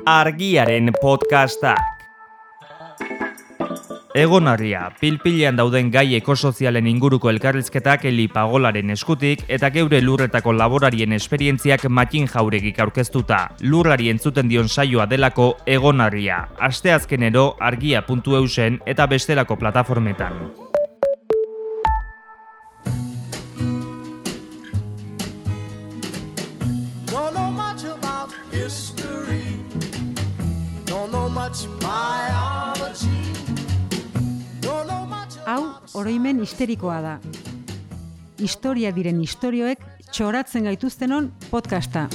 Argiaren podcastak. Egonarria, pilpilean dauden gai ekosozialen inguruko elkarrizketak Eli Pagolaren eskutik eta geure lurretako laborarien esperientziak Matin Jauregik aurkeztuta. Lurrari entzuten dion saioa delako Egonarria. Asteazkenero argia.eusen eta bestelako plataformetan. Hau, oroimen histerikoa da. Historia diren istorioek txoratzen gaituztenon podcasta.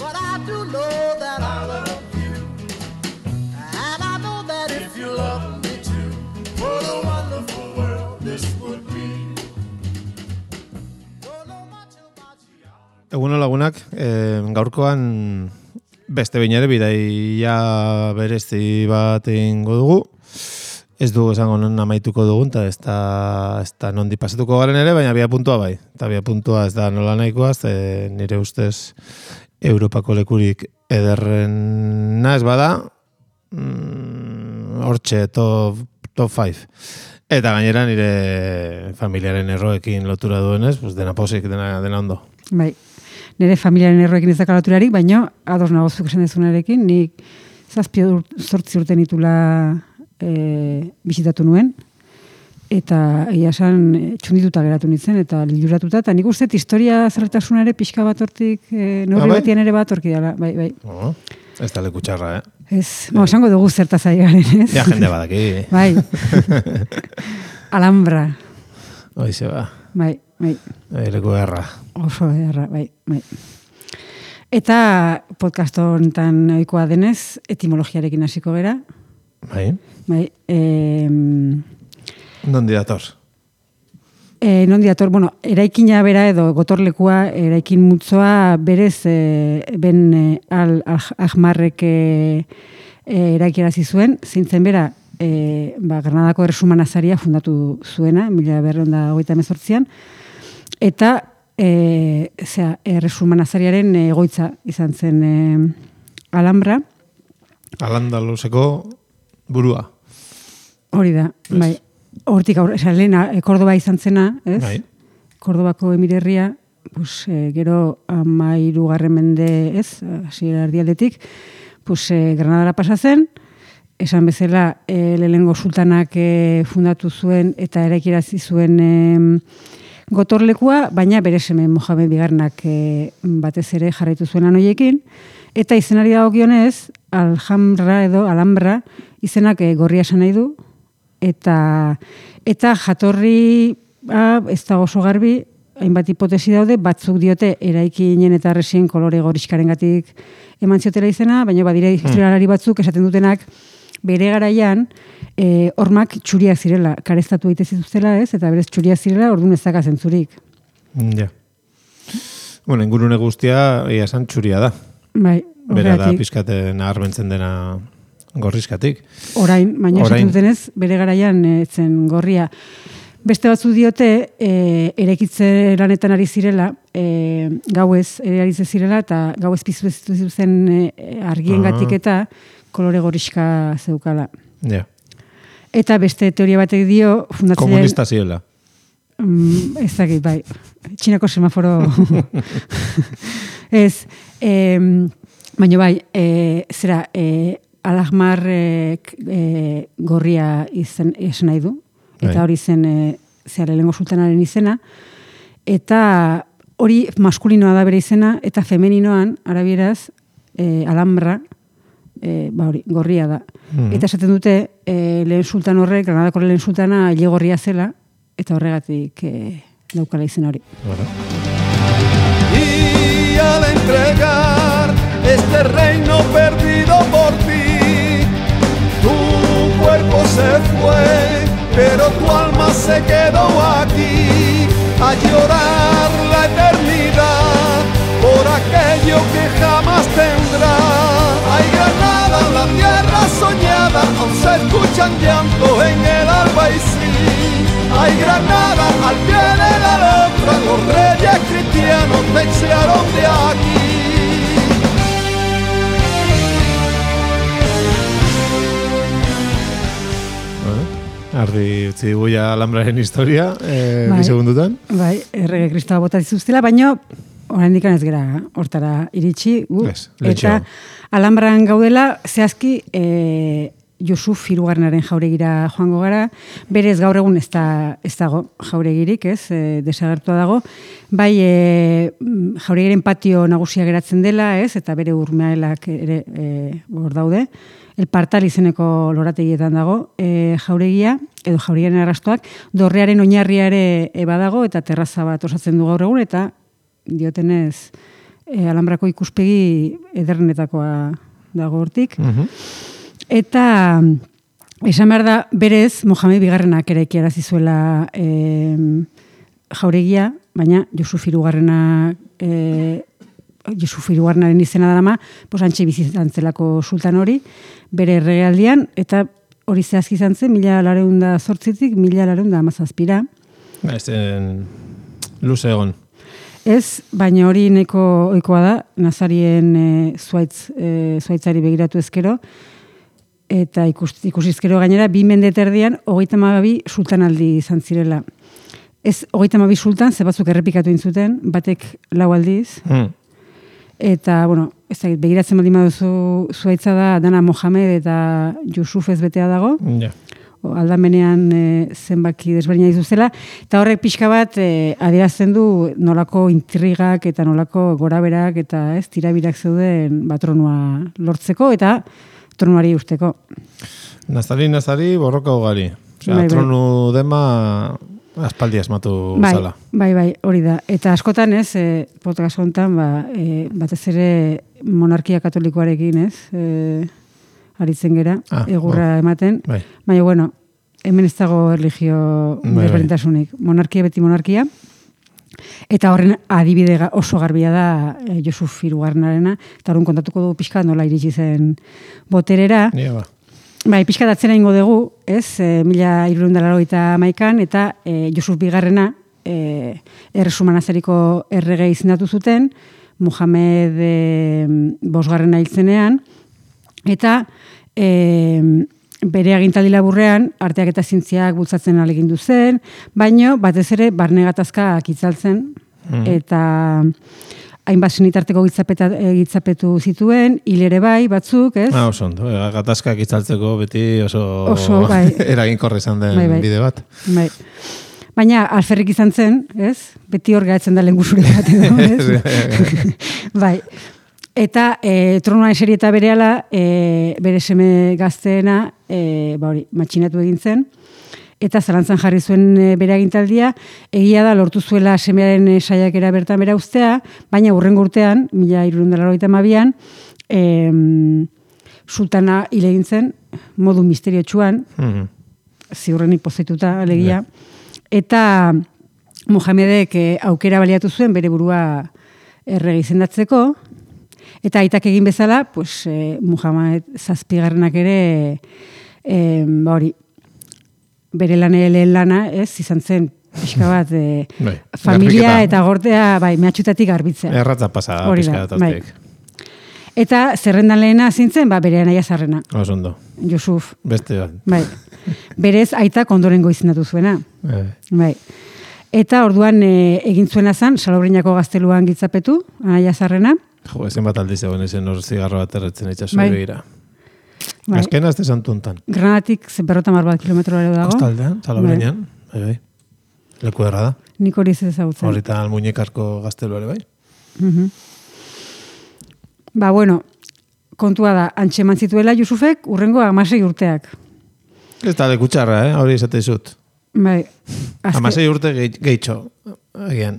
Eguno lagunak, gaurkoan beste behin ere bidaia berezi bat egingo dugu. Ez dugu esango non amaituko dugun, eta ez da nondi pasatuko garen ere, baina bia puntua bai. Eta bia puntua ez da nola nahikoa, nire ustez Europako lekurik ederrena ez bada, hortxe top 5. Eta gainera nire familiaren erroekin lotura duenez, pues dena posik, dena ondo. Bai, nire familiaren erroekin ez daka loturarik, baina ados nagozuk esan dezunarekin, nik 7 urte nitula bisitatu nuen, eta egia esan txundituta geratu nintzen, eta liluratuta, eta nik uste historia zertasunare pixka bat hortik, neurri batian ere bat horki dela, bai. Ez da leku txarra, Ez, esango dugu zertaz ari garen, ez? Ja, jende badaki. Bai. Alhambra. Hoize ba. Bai. Leku erra. Oso erra, bai. Eta podcast honetan ohikoa denez, etimologiarekin hasiko gera. Bai. Nondi dator? Nondi dator, eraikina bera edo gotorlekua, eraikin multzoa berez ben Ahmarrek eraikerazi zuen, zeintzen bera Granadako Erresuma Nazaria fundatu zuena, 1928an, eta Erresuma Nazariaren egoitza izan zen Alhambra. Al-Andaluseko burua. Hori da, bai. Hortik lehen Kordoba izan zena, ez? Bai. Kordobako emirerria, gero 13. mende, ez? Hasiera erdialdetik, Granadara pasa zen, esan bezala lehenengo sultanak fundatu zuen eta eraikirazi zuen gotorlekua, baina bere seme Mohamed Bigarrenak batez ere jarraitu zuen anoiekin, eta izenari dagokionez, Alhambra izenak gorria esan nahi du, eta jatorri ez dago oso garbi, hainbat hipotesi daude, batzuk diote eraikinen eta arresien kolore gorixkarengatik eman ziotela izena, baina badire historialari batzuk esaten dutenak bere garaian hormak txuriak zirela, karestatu egite zituztela, ez? Eta berez txuriak zirela, orduan ez daka zentzurik. Ja. Ingurune guztia ia esan txuria da. Bai, bera da pizkate naharmentzen dena gorrizkatik. Orain, baina esaten dutenez, bere garaian zen gorria. Beste batzu diote, eraikitze lanetan ari zirela, gauez ere ari zirela, eta gauez piztu zen argiengatik eta kolore gorrizka zeukala. Ja. Eta beste teoria batek dio, fundatzailean... Komunista ziela. Ez dakit, bai. Txinako semaforo... Ez, baina bai, Alhmarrek gorria izan nahi du, eta hori zen lehengo sultanaren izena, eta hori maskulinoa da bere izena, eta femeninoan, arabieraz, Alhambra, hori, gorria da. Eta esaten dute, lehen sultan horrek, Granadako lehen sultana, hile gorria zela, eta horregatik daukala izen hori. Y al entregar este reino perdido por ti, tu cuerpo se fue, pero tu alma se quedó aquí, a llorar la eternidad por aquello que jamás tendrá. Hay Granada, la tierra soñada, aún se escuchan llantos en el Albaicín. Hay Granada, al pie de la Alhambra, los reyes cristianos te echaron de aquí. Ardi utzi guia alambraren historia, bi segundutan. Bai, errege kristoa bota dituztela, baina oraindik ez gera hortara iritsi. Eta alambran gaudela, zehazki Jusuf hirugarrenaren jauregira joango gara. Berez gaur egun ez dago jauregirik, desagertua dago. Bai, jauregiren patio nagusia geratzen dela, eta bere urmeaelak ere hor daude. El Partal izeneko lorategietan dago jauregia, edo jauregiaren arrastoak, dorrearen oinarria ere badago, eta terraza bat osatzen du gaur egun, eta diotenez alambrako ikuspegi ederrenetakoa dago hortik. Eta esan behar da, berez, Mohamed Bigarrenak ere erazi zuela jauregia, baina Jusuf hirugarrenaren izena darama, antxe bizitzan zelako sultan hori, bere erregealdian, eta hori zehazki izan zen, 1808-tik 1817. Luze egon. Ez, baina hori nahiko ohikoa da, nazarien zuaitzari begiratu ezkero, eta ikusizkero gainera, 2 mende terdian, 32 sultanaldi izan zirela. Ez 32 sultan, ze batzuk errepikatu intzuten, batek 4 aldiz, eta, ez da, begiratzen baldin baduzu zuaitza da, dana Mohamed eta Jusuf ez betea dago, aldamenean zenbaki desberdina dituzela, eta horrek pixka bat adierazten du nolako intrigak eta nolako goraberak eta tirabirak zeuden tronua lortzeko eta tronuari usteko. Nazari, borroka ugari. Tronu dema aspaldi asmatu zala. Bai, hori da. Eta askotan podcast honetan, batez ere monarkia katolikoarekin, aritzen gera, egurra ematen. Baina, hemen ez dago erlijio desberdintasunik. Monarkia beti monarkia. Eta horren adibide oso garbia da Jusuf hirugarrenarena, eta horren kontatuko dugu pixka nola iritsi zen boterera. Bai, pixka datzera ingo dugu, 1381an, eta Jusuf bigarrena Erresumanazeriko errege izendatu zuten, Mohamed bosgarrena hiltzenean, eta bere agintaldi laburrean arteak eta zientziak bultzatzen ahalegindu zen, baino batez ere barne gatazkak itzaltzen, eta hainbat senitarteko gitzapetu zituen, hil ere bai, batzuk, ez? Oso ondo, gatazkak itzaltzeko beti oso eraginkorra izan den bide bat. Baina alferrik izan zen, ez? Beti hor gaetzen da lehengusure baten, ez? Bai. Eta tronuan eseri eta berehala, bere seme gazteena, matxinatu egin zen, eta zalantzan jarri zuen bere agintaldia, egia da lortu zuela semearen saiakera bertan bera ustea, baina hurrengo urtean, 1382an, sultana hil egin zen, modu misteriotsuan, ziurrenik pozaituta, alegia, eta Mohamedek aukera baliatu zuen bere burua errege izendatzeko, eta aitak egin bezala, Muhammad zazpigarrenak ere, bere lehen lana, izan zen, pixka bat, familia eta gortea, mehatxutatik garbitzea. Erratza pasa, pixka bat hortik. Eta zerrendan lehena zintzen, bere anaia zarrena. Osondo. Jusuf. Beste bat. Berez aitak ondorengo izendatu zuena. Eta orduan egin zuena zen, Salobrinako gazteluan gitzapetu, anaia zarrena. Ezen bat aldiz egon ezen hor zigarro bat erretzen itxasu begira. Azkena ez desantu ontan. Granatik 150 kilometro ere dago. Kostaldean, Salobreñan. Leku erra da. Nik hori ez ezagutzen. Horita almuñekarko gaztelu ere bai. Kontua da, antxeman zituela Jusufek urrengo 16 urteak. Ez da lekutxarra, hori esate izut. 16 urte gehitxo. Agian,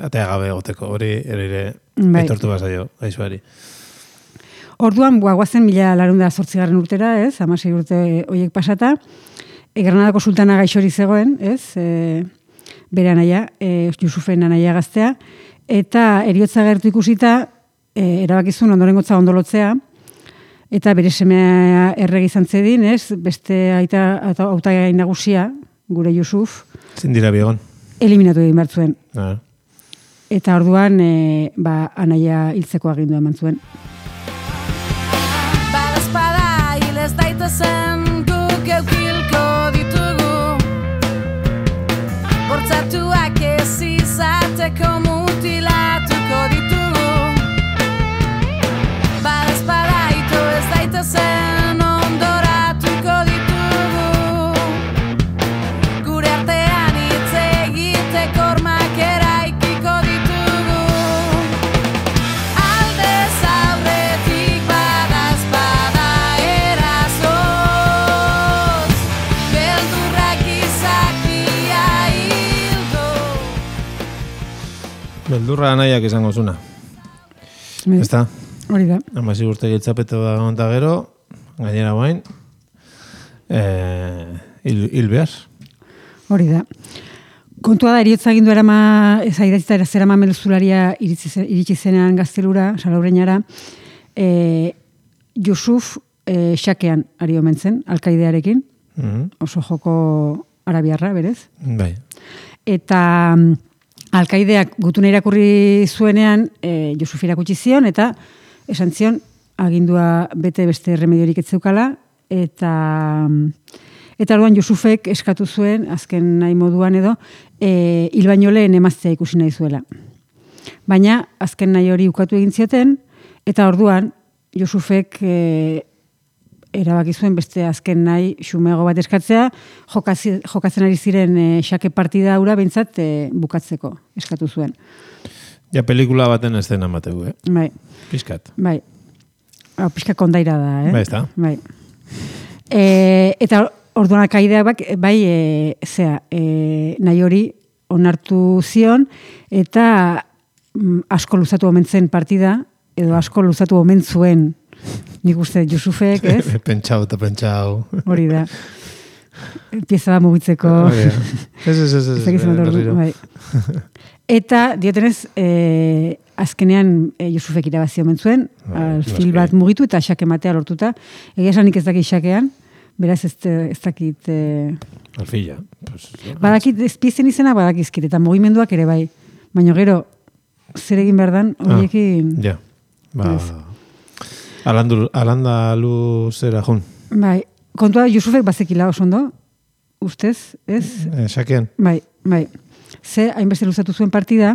atea gabe goteko, hori ere aitortu bazaio, aizuari. Orduan, guazen 1808 urtera, 16 urte horiek pasata, Granadako sultana gaixori zegoen, bere anaia, Jusufen anaia gaztea, eta eriotza gertu ikusita, erabakizun ondorengotza ondolotzea, eta bere semea errege izan zedin, beste hautagai nagusia, gure Jusuf. Zindira biegon. Eliminatu egin behar zuen. Eta orduan, anaia hiltzeko agindua eman zuen. Badazpada hil ez daitezen guk eukilko ditu egiteko mutilatuko ditugu. Badazpada ito ez daitezen ondoratuko ditugu. Gure artean hitz egiteko hormak eraikiko ditugu. Aldez aurretik badazpada erasoz, beldurrak izakia hildo. Beldurra anaiak izango zuna. Ezta? Hori da. Amasi urte giltzapeto da gonta gero, gainera guain, hil behar. Hori da. Kontua da, eriotza agindu zaidatzita zerama meluzularia iritsi zenean gaztelura, Salaureñara, Yusuf xakean ari omen zen, alkaidearekin, oso joko arabiarra, berez. Bai. Eta alkaideak gutuna irakurri zuenean, Yusuf irakutsi zion, eta esan zion, agindua bete beste remediorik ez zeukala, eta orduan Yusufek eskatu zuen, azken nahi moduan edo, hil baino lehen emaztea ikusi nahi zuela. Baina, azken nahi hori ukatu egin zioten, eta orduan Yusufek erabaki zuen beste azken nahi xumego bat eskatzea, jokatzen ari ziren xake partida hura behintzat bukatzeko eskatu zuen. Ja, pelikula baten estena mateu, Bai. Piskat. Bai. Piskat kondaira da, Bai, ez da. Bai. Eta orduan alkaideak nahi hori onartu zion, eta asko luzatu omen zen partida, edo asko luzatu omen zuen, nik uste Yusufek, ez? Pentsau eta pentsau. Hori da. Pieza da mugitzeko. Ez. Eta, diotenez, azkenean Yusufek irabazi omen zuen, fil bat mugitu eta xake matea lortuta. Egia esanik ez dakit xakean, beraz ez dakit... Alfila. Badakit, ezpiezen izena badakizkit, eta mugimenduak ere bai. Baina gero, zer egin behar dan, horiekin... Ja, alandalu zera jun. Bai, kontua Yusufek bazekila oso ondo, ustez, ez? Xakean. Bai. Ze, hainbeste luzatu zuen partida,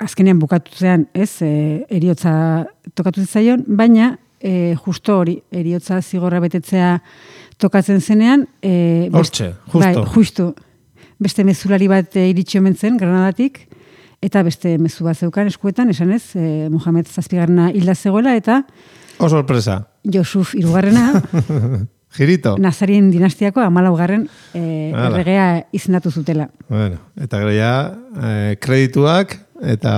azkenean bukatutzean, ez, eriotza tokatu zaion, baina justo hori, eriotza zigorra betetzea tokatzen zenean, hortxe, justo. Bai, justo. Beste mezulari bat iritsi omen zen, Granadatik, eta beste mezu bat zeukan eskuetan, esanez, Mohamed Zazpigarrena hilda zegoela, eta... Oh, sorpresa. Yusuf hirugarrena... Girito. Nazarien dinastiako 14. Erregea izendatu zutela. Bueno, eta gero ja, kredituak eta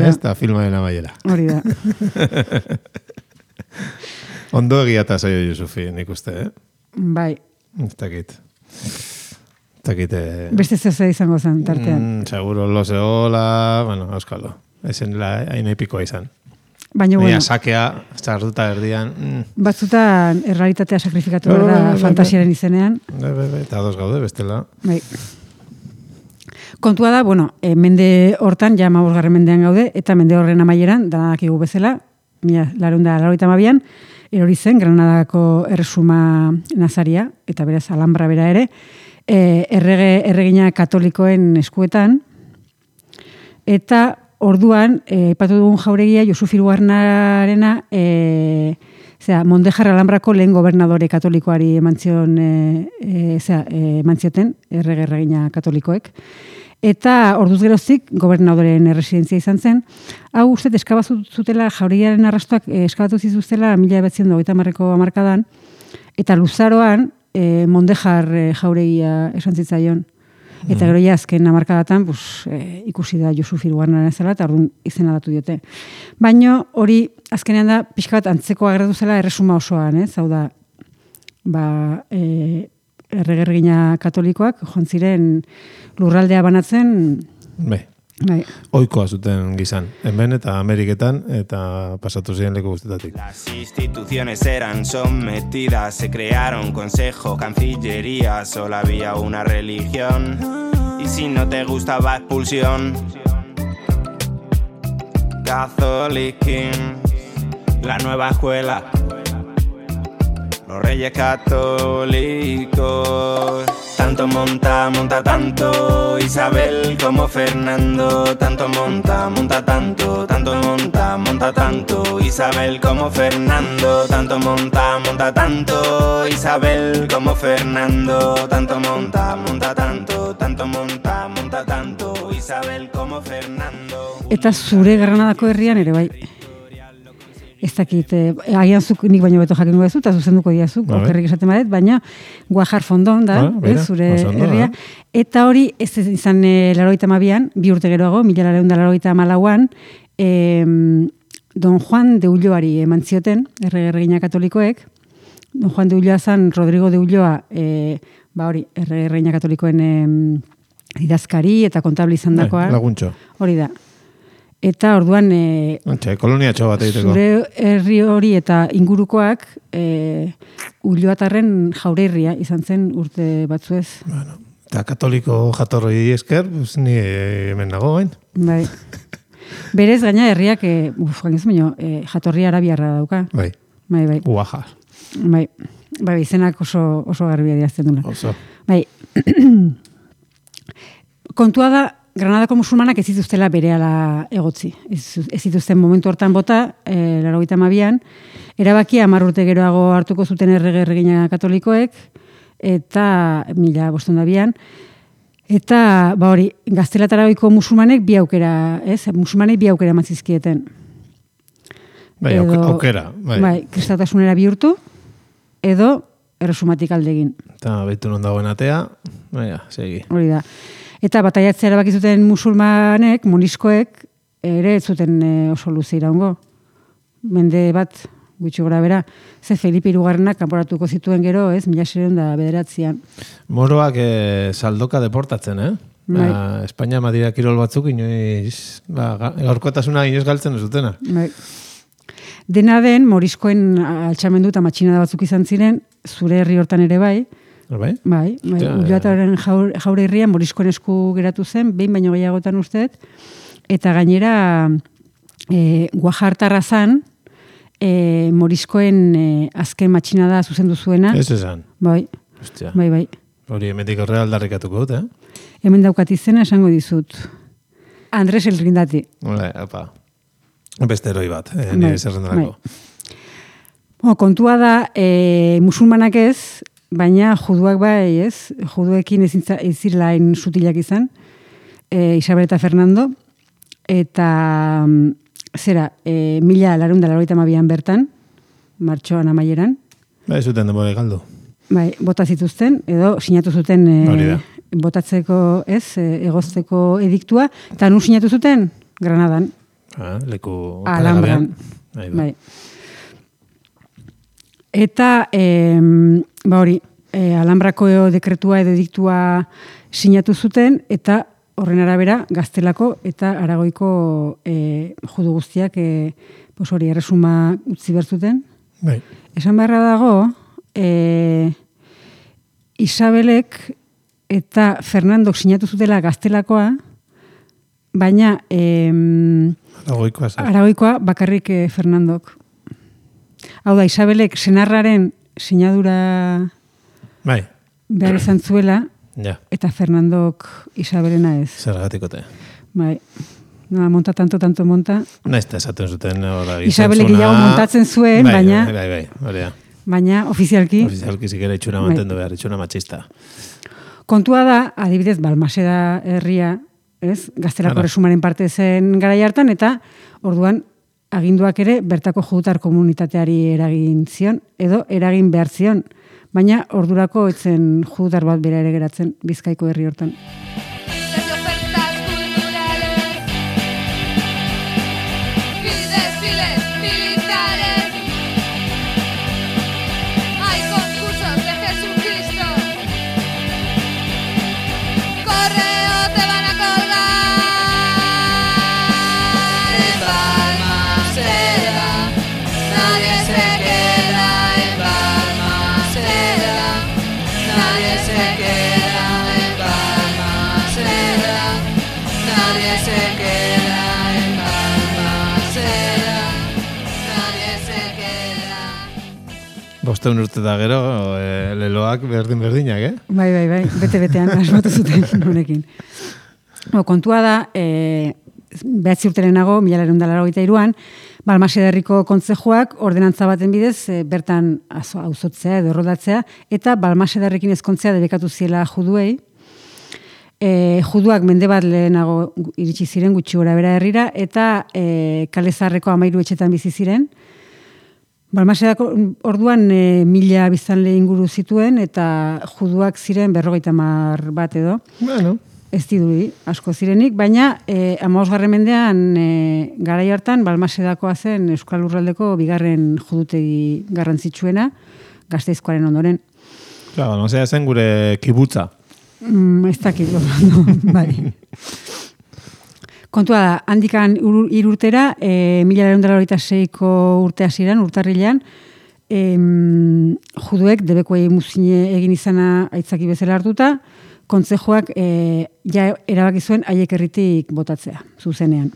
ez da filmaren amaiera. Hori da. Ondo egiata zaio Yusufi, nik uste, Bai. Ez dakit. Beste zehose izango zen, tartean. Seguro, lozeola, bueno, euskalo. Ezen hain epikoa izan. Baina, bueno. Sakea, zartuta erdian. Batzutan errealitatea sakrifikatu da fantasiaren izenean. Eta ados gaude, bestela. Bai. Kontua da, bueno, mende hortan, ja 15. mendean gaude, eta mende horren amaieran, danakigu bezala, 1892an, erori zen, Granadako erresuma nazaria, eta beraz Alhambra bera ere, erregina katolikoen eskuetan, eta orduan, ipatu dugun jauregia, Yusuf hirugarrenarena, Mondejar Alhambrako lehen gobernadore katolikoari emantzioten, erregina katolikoek. Eta orduz geroztik, gobernadoren erresidentzia izan zen. Hau uste, eskabatu zutela, jauregiaren arrastoak eskabatu zituztela 1930ko hamarkadan, eta luzaroan, Mondejar jauregia esan zitzaion. Eta gero ja azken hamarkadatan ikusi da Yusuf hirugarrenaren zela eta orduan izena datu diote. Baina hori azkenean da pixka bat antzeko agertu zela erresuma osoan, hau da erregina katolikoak joan ziren lurraldea banatzen. Bai. Oikoa zuten gizan, hemen eta Ameriketan, eta pasatu ziren leku guztetatik. Las instituciones eran sometidas, se crearon consejo, cancillería, solo había una religión, y si no te gustaba expulsión. Catholicism, la nueva escuela, los reyes católicos. Tanto monta, monta tanto Isabel como Fernando. Tanto monta, monta tanto, tanto monta, monta tanto Isabel como Fernando. Tanto monta, monta tanto Isabel como Fernando. Tanto monta, monta tanto, tanto monta, monta tanto Isabel como Fernando. Eta zure Granadako herrian ere bai. Ez dakit, agian zuk nik baino beto jakin duzu, eta zuzenduko diazu, okerrik esaten badet, baina Guajar Fondon da, zure herria. Eta hori, ez izan 82an, 2 urte geroago, 1984an, Don Juan de Ulloari eman zioten, erregina katolikoek. Don Juan de Ulloa zan, Rodrigo de Ulloa, erregina katolikoen idazkari eta kontable izan dakoa. Laguntxo. Hori da. Eta orduan kolonia txo bat egiteko. Zure herri hori eta ingurukoak Ulloatarren jaurerria izan zen urte batzuez. Bueno, eta katoliko jatorri esker, ni hemen nago gain. Bai. Berez gaina herriak jatorri arabiarra dauka. Bai. Bai. Uaja. Bai. Bai, izenak oso garbia diazten dula. Oso. Bai. Kontua da Granadako musulmanak ez zituztela berehala egotzi. Ez zituzten momentu hortan bota, 82an, erabakia 10 urte geroago hartuko zuten erregina katolikoek, eta 1502an, eta hori, Gaztelataragoiko musulmanek bi aukera, musulmanei bi aukera emantzizkieten. Bai, aukera. Bai, kristautasunera bihurtu, edo erresumatik aldegin. Eta behitu non dagoen atea, segi. Hori da. Eta bataiatzea erabakizuten musulmanek, moniskoek, ere ez zuten oso luze iraungo. Mende bat, gutxi gora bera, ze Felipe Hirugarrenak kanporatuko zituen gero, 1609an. Moroak saldoka deportatzen, Espainia madira kirol batzuk, inoiz, gaurkotasuna inoiz galtzen ez dutena. Dena den, moriskoen altxamendu eta matxinada batzuk izan ziren, zure herri hortan ere bai, Bai, Ulloataren jaure herrian moriskoen esku geratu zen, behin baino gehiagotan usteet, eta gainera Guajartarra zan, moriskoen azken matxinada zuzendu zuena. Ez esan. Bai. Bai. Hori hemendik horre aldarrikatuko dut, Hemen daukat izena esango dizut. Andres el Rindati. Opa. Beste heroi bat, nire zerrendarako. Kontua da, musulmanak ez, baina juduak bai, ez? Juduekin ez zirelain sutilak izan, Isabel eta Fernando, eta 1982an bertan, martxoan amaieran. Bai, zuten denbora galdu. Bai, bota zituzten, edo sinatu zuten botatzeko, egozteko ediktua, eta nun sinatu zuten? Granadan. Leku Alhambran. Bai. Eta, Alhambrako dekretua edo ediktua sinatu zuten, eta horren arabera Gaztelako eta Aragoiko judu guztiak erresuma utzi berzuten. Bai. Esan beharra dago, Isabelek eta Fernandok sinatu zutela Gaztelakoa, baina Aragoikoa bakarrik Fernandok. Hau da, Isabelek senarraren sinadura behar izan zuela, eta Fernandok Isabelena ez. Zergatikote. Bai. Monta tanto monta. Naizta esaten zuten. Isabelek gehiago montatzen zuen, baina... Bai, baina ofizialki... Ofizialki zikera itxuna mantendu behar, itxuna matxista. Kontua da, adibidez, Balmaseda herria, Gaztelako erresumaren parte zen garai hartan, eta orduan aginduak ere bertako judutar komunitateari eragin zion, edo eragin behar zion, baina ordurako etzen judutar bat bera ere geratzen Bizkaiko herri hortan. 500 urte da gero, leloak berdinak, Bai, bete-betean asmatu zuten honekin. Kontua da, 9 urte lehenago, 1983an, Balmaseda herriko kontzejuak ordenantza baten bidez bertan auzotzea edo erroldatzea, eta Balmaseda herrekin ezkontzea debekatu ziela juduei. Juduak mende bat lehenago iritsi ziren gutxi gora bera herrira, eta Kale Zaharreko 13 etxetan bizi ziren. Balmasedako orduan 1000 biztanle inguru zituen, eta juduak ziren 50 bat edo. Bueno. Ez dirudi, asko zirenik, baina 15. mendean garai hartan Balmasedakoa zen Euskal Lurraldeko bigarren judutegi garrantzitsuena, Gasteizkoaren ondoren. Claro, Balmaseda zen gure kibutza. Ez dakit, bai. Kontua da, handikan 3 urtera, 1986ko urte hasieran, urtarrilean, juduek debekoei muzine egin izana aitzaki bezala hartuta, kontzejoak ja erabaki zuen haiek herritik botatzea, zuzenean.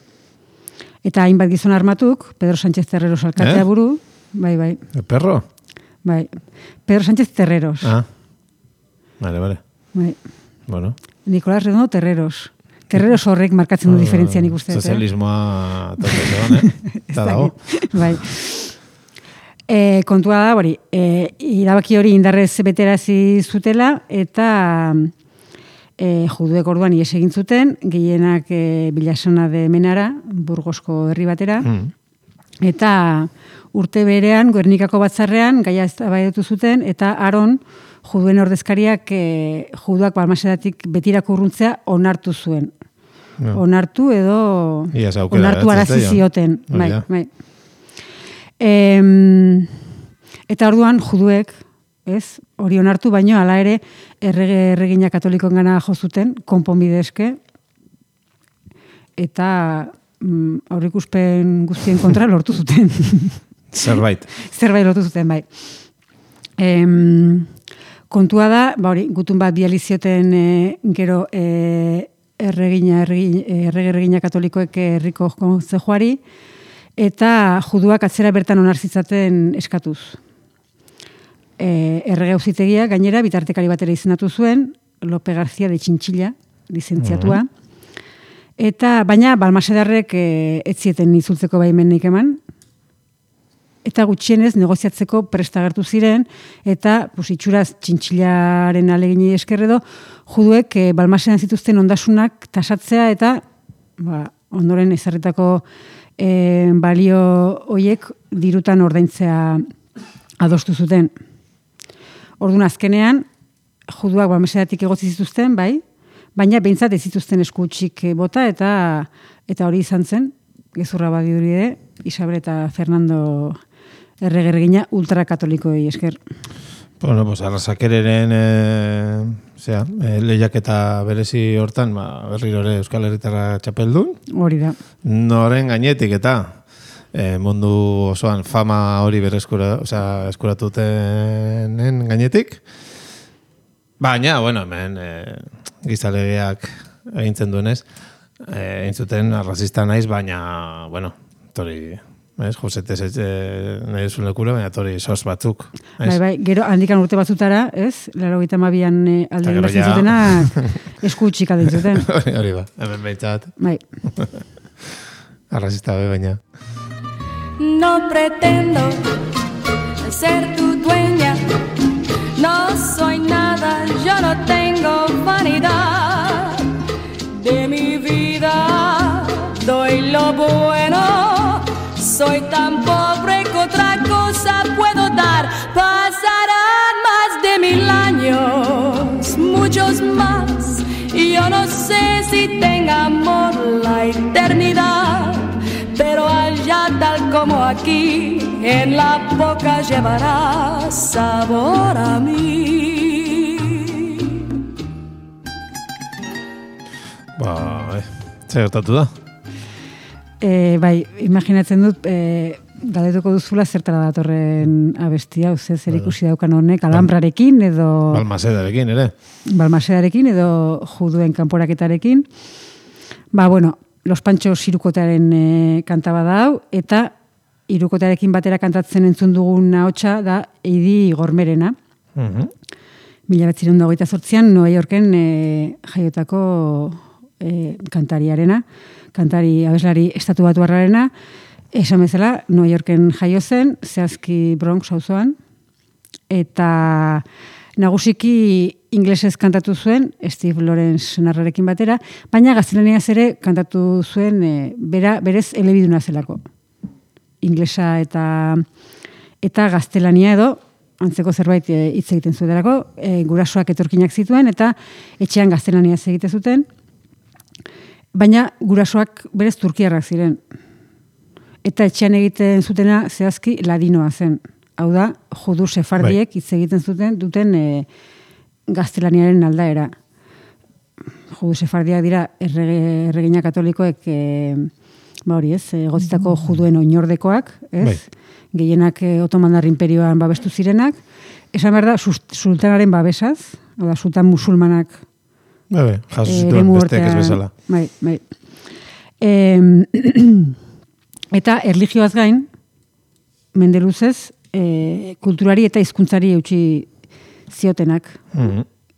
Eta hainbat gizon armatuk, Pedro Sánchez Terreros alkatea buru, bai. Perro? Bai, Pedro Sánchez Terreros. Vale. Bai. Bueno. Nicolás Redondo Terreros. Terreros horrek markatzen du diferentzia nik uste. Sozialismoa tope zegoen, Eta dago. Bai. Kontua da, hori, irabaki hori indarrez beterazi zutela, eta juduek orduan ies egin zuten, gehienak Bilasona de Menara, Burgosko herri batera, eta urte berean, Gernikako batzarrean, gaia eztabaidatu zuten, eta Aron, juduen ordezkariak juduak Balmasedatik betirako urruntzea onartu zuen. No. Onartu edo onartu arazi zioten. Bai. Eta orduan juduek, ez, hori onartu, baino hala ere erregina katolikoen gana jo zuten, konponbide eske, eta aurreikuspen guztien kontra lortu zuten. Zerbait lortu zuten, bai. Kontua da, hori, gutun bat bializioten gero erregina katolikoek herriko kontzejuari, eta juduak atzera bertan onarzitzaten eskatuz. Errege auzitegia gainera bitartekari batera izendatu zuen, Lope García de Txintxilla, lizentziatua, eta baina Balmasedarrek ez zieten itzultzeko baimenik eman, eta gutxienez negoziatzeko prest agertu ziren, eta itxuraz Txintxillaren alegini eskerredo, juduek Balmasedan zituzten ondasunak tasatzea, eta ondoren ezarritako balio hoiek dirutan ordaintzea adostu zuten. Orduan azkenean, juduak Balmasedatik egotzi zituzten, bai, baina behintzat ez zituzten eskutsik bota, eta hori izan zen, gezurra badiuri ere, Isabel eta Fernando erregina ultrakatolikoi esker. Bueno, pues Arrasakereren lehiaketa berezi hortan, berriro ere Euskal Herritarra txapeldun. Hori da. Noren gainetik eta mundu osoan fama hori eskuratutenen gainetik. Baina, bueno, hemen gizalegeak egintzen duenez, egin zuten arrazista naiz, baina, bueno, tori... Josetes nahi zuen lekura, baina tori sos batzuk. Bai, gero handikan urte batzutara, ez? 82an alde geratzen zutenak eskutxik alden zuten. Hori ba, hemen behintzat. Bai. Arrazista baina. No pretendo ser tu dueña, no soy nada, yo no tengo vanidad de mi vida, doy lo bueno. Soy tan pobre que otra cosa puedo dar. Pasarán más de 1000 años, muchos más. Y yo no sé si tenga amor la eternidad. Pero allá tal como aquí, en la boca llevará sabor a mí. Zer gertatu da? Bai, imaginatzen dut, galdetuko duzula zertara datorren abestia, zer ikusi daukan honek, Alhambrarekin edo... Balmasedarekin, ere. Balmasedarekin edo juduen kanporaketarekin. Bueno, Los Panchos Hirukotearen kantaba da hau, eta hirukotearekin batera kantatzen entzun dugun ahotsa da Eidi Gormerena. 1928an New Yorken jaiotako kantariarena, kantari abeslari estatubatuarrarena, esan bezala New Yorken jaio zen, zehazki Bronx auzoan, eta nagusiki inglesez kantatu zuen, Steve Lawrence narrarekin batera, baina gaztelaniaz ere kantatu zuen berez elebiduna zelako. Inglesa eta gaztelania edo, antzeko zerbait hitz egiten zuetarako, gurasoak etorkinak zituen, eta etxean gaztelaniaz egite zuten, baina gurasoak berez turkiarrak ziren. Eta etxean egiten zutena zehazki ladinoa zen. Hau da, judu sefardiek hitz egiten duten gaztelaniaren aldaera. Judu sefardiak dira erregina katolikoek egotzitako juduen oinordekoak, ez? Gehienak Otomandar Inperioan babestu zirenak. Esan behar da, sultanaren babesaz, hau da, sultan musulmanak jaso zituen besteek ez bezala. Bai. Eta erlijioaz gain, mende luzez, kulturari eta hizkuntzari eutsi ziotenak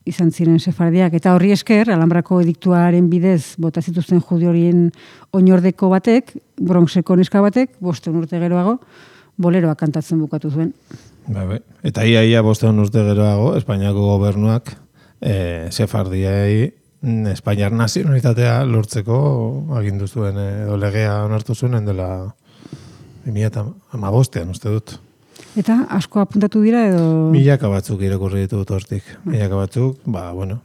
izan ziren sefardiak. Eta horri esker, Alhambrako ediktuaren bidez bota zituzten judi horien oinordeko batek, Bronxeko neska batek, 5 urte geroago, boleroa kantatzen bukatu zuen. Eta ia 5 urte geroago, Espainiako gobernuak sefardiai Espainiar nazionalitatea lortzeko agindu zuen edo legea onartu zuen dela 2015 uste dut. Eta asko apuntatu dira edo... Milaka batzuk irakurri ditut hortik. Milaka batzuk,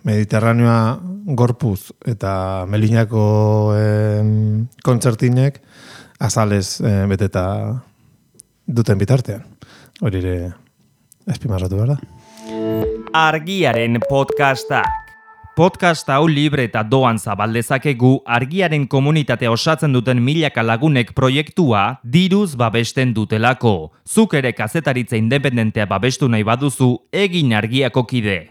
Mediterraneoa gorpuz eta Melinako kontzertinek azalez beteta duten bitartean. Hori ere azpimarratu behar da. Argiaren podcastak. Podcast hau libre eta doan zabaldezakegu Argiaren komunitatea osatzen duten milaka lagunek proiektua diruz babesten dutelako. Zuk ere kazetaritza independentea babestu nahi baduzu, egin Argiako kide.